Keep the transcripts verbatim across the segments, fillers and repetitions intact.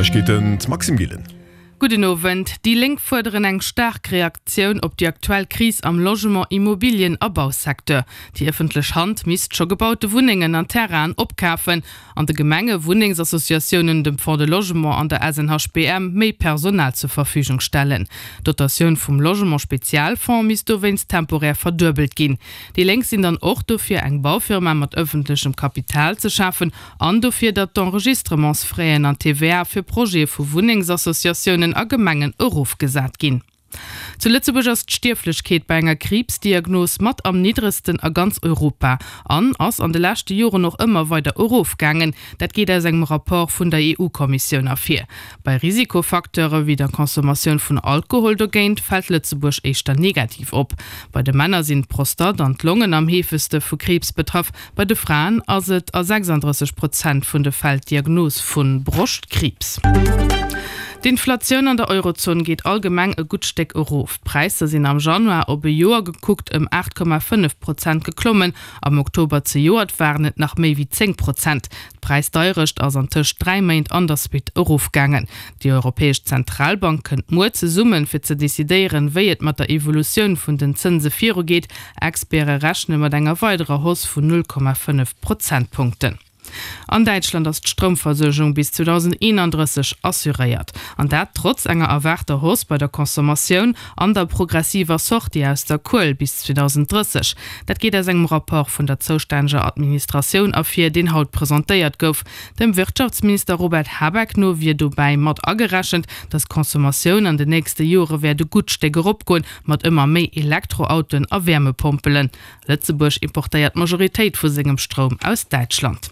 Neiegkeeten, d'Maxime Gillen. Gudden Owend. Déi Lénk fuerderen eng staark Reaktioun op déi aktuell Kris am Logement-, Immobilien a Bausecteur. Déi ëffentlech Hand misst scho gebaute Wunnengen an Terrainen opkafen an de Gemenge, Wunnengsassociatiounen, dem Fonds de Logement an der SNHBM méi Personal zur Verfügung stellen. D'Dotatioun vum Logement-Spezialfonds misst dowéinst temporär verduebelt ginn. Déi Lénk sinn dann och dofir, eng Baufirma mat ëffentlechem Kapital ze schafen an dofir, datt d'Enregistrementsfraisen an d'TVA fir Projete vu Wunnengsassociatiounen a Gemengen erofgesat ginn. Zu Lëtzebuerg ass d'Stierflechkeet bei enger Kriibsdiagnos mat am niddregsten a ganz Europa an ass an de leschte Joren och ëmmer weider erofgaangen. Dat geet aus engem Rapport vun der EU-Kommissioun ervir. Bei Risikofacteure wéi der Consommatioun vun Alkohol dogéint fält Lëtzebuerg éischter negativ op. Bei de Männer sinn d'Prostate an d'Longen am heefegste vu Kriibs betraff, bei de Fraen ass et a sechsanddrësseg Prozent vun de Fäll d'Diagnos vu Broschtkriibs. D'Inflatioun an der Eurozon geet allgemeng e gutt Stéck erof. D'Präisser sinn am Januar op e Joer gekuckt ëm aacht Komma fënnef Prozent geklommen, am Oktober zejoert waren et nach méi wéi zéng Prozent. D'Präisdeierecht ass an tëscht dräi Méint an der Suite erofgaangen. Déi Europäesch Zentralbank kënnt muer zesummen, fir ze decidéieren, wéi et mat der Evolutioun vun den Zënse virugeet. Experte rechne mat enger weiderer Hausse vun null Komma fënnef Prozentpunkten. An Däitschland ass d'Stroumversuergung bis zweedausendeenandrësseg assuréiert. An dat trotz enger erwaarter Hausse bei der Consommatioun an der progressiver Sortie aus der Kuel bis zweedausenddrësseg. Dat geet aus engem Rapport vun der zoustänneger Administratioun ervir, deen haut presentéiert gouf. Dem Wirtschaftsminister Robert Habeck no wier dobäi mat agerechent, datt d'Consommatioun an den nächste Jore wäert e gutt Stéck eropgoen, mat ëmmer méi Elektroautoen a Wäermepompelen. Lëtzebuerg importéiert d'Majoritéit vu sengem Stroum aus Däitschland.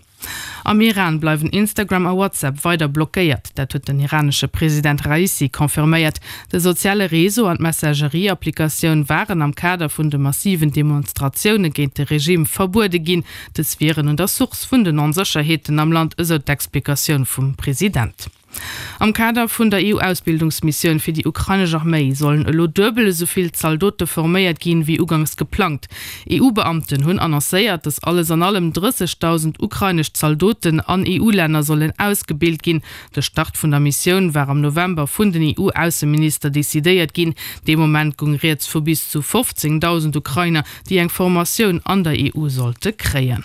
Am Iran bleiwen Instagram a WhatsApp weider blockéiert. Dat huet den iranesche President Raisi confirméiert. De soziale Réseau an d'Messagerie-Applikatioun waren am Kader vun de massiven Demonstratioune géint de Regime verbuede ginn. Dës wieren un der Source vun den Onsécherheeten am Land, esou d'Explikatioun vum President. Am Kader vun der EU-Ausbildungsmissioun fir déi ukrainesch Arméi sollen elo duebel esou vill Zaldote forméiert ginn, wéi uganks geplangt. EU-Beamten hunn annoncéiert, datt alles an allem drëssegdausend ukrainesch Zaldoten an EU-Länner sollen ausgebilt ginn. De Start vun der Missioun war am November vun den EU-Ausseminister decidéiert ginn. Dee Moment goung rieds vu bis zu fofzéngdausend Ukrainer, déi eng Formatioun an der E U sollte kréien.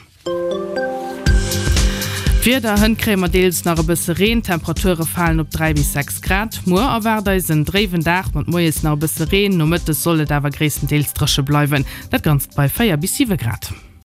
D'Wieder, Hënt kréie mer deels nach e bësse Reen, d'Temperature falen op dräi bis sechs Grad. Muer erwaart eis en dréiwen Dag mat moies nach e bësse Reen, nomëttes soll et awer gréisstendeels dréche bleiwen, dat Ganzt bei véier bis siwe Grad.